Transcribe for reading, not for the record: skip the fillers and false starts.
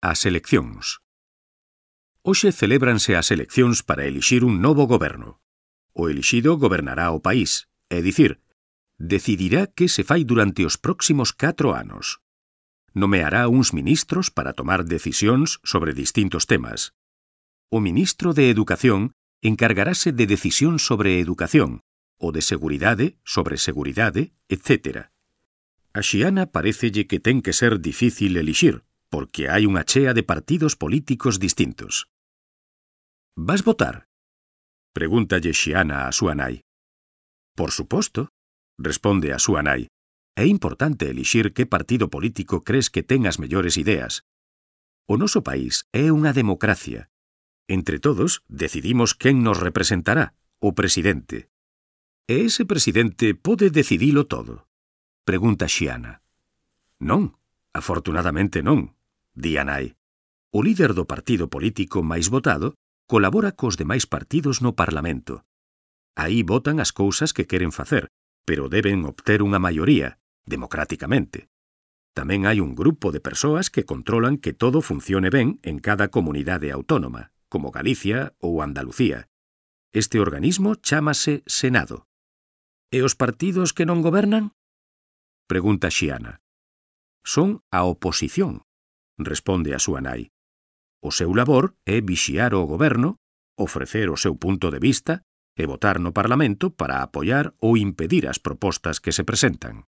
As eleccións. Hoxe celébranse as eleccións para elixir un novo goberno. O elixido gobernará o país, é dicir, decidirá que se fai durante os próximos 4 anos. Nomeará uns ministros para tomar decisións sobre distintos temas. O ministro de Educación encargarase de decisións sobre educación, o de seguridade sobre seguridade, etc. A Xiana parécelle que ten que ser difícil elixir, porque hai unha chea de partidos políticos distintos. Vas votar? Pregúntalle Xiana a súa nai. Por suposto, responde a súa nai. É importante elixir que partido político crees que ten as mellores ideas. O noso país é unha democracia. Entre todos, decidimos quen nos representará, o presidente. E ese presidente pode decidilo todo? Pregunta Xiana. Non, afortunadamente non, di a nai. O líder do partido político máis votado colabora cos demais partidos no Parlamento. Aí votan as cousas que queren facer, pero deben obter unha maioría, democráticamente. Tamén hai un grupo de persoas que controlan que todo funcione ben en cada comunidade autónoma, como Galicia ou Andalucía. Este organismo chámase Senado. E os partidos que non gobernan? Pregunta Xiana. Son a oposición, responde a súa nai. O seu labor é vixiar o goberno, ofrecer o seu punto de vista e votar no Parlamento para apoiar ou impedir as propostas que se presentan.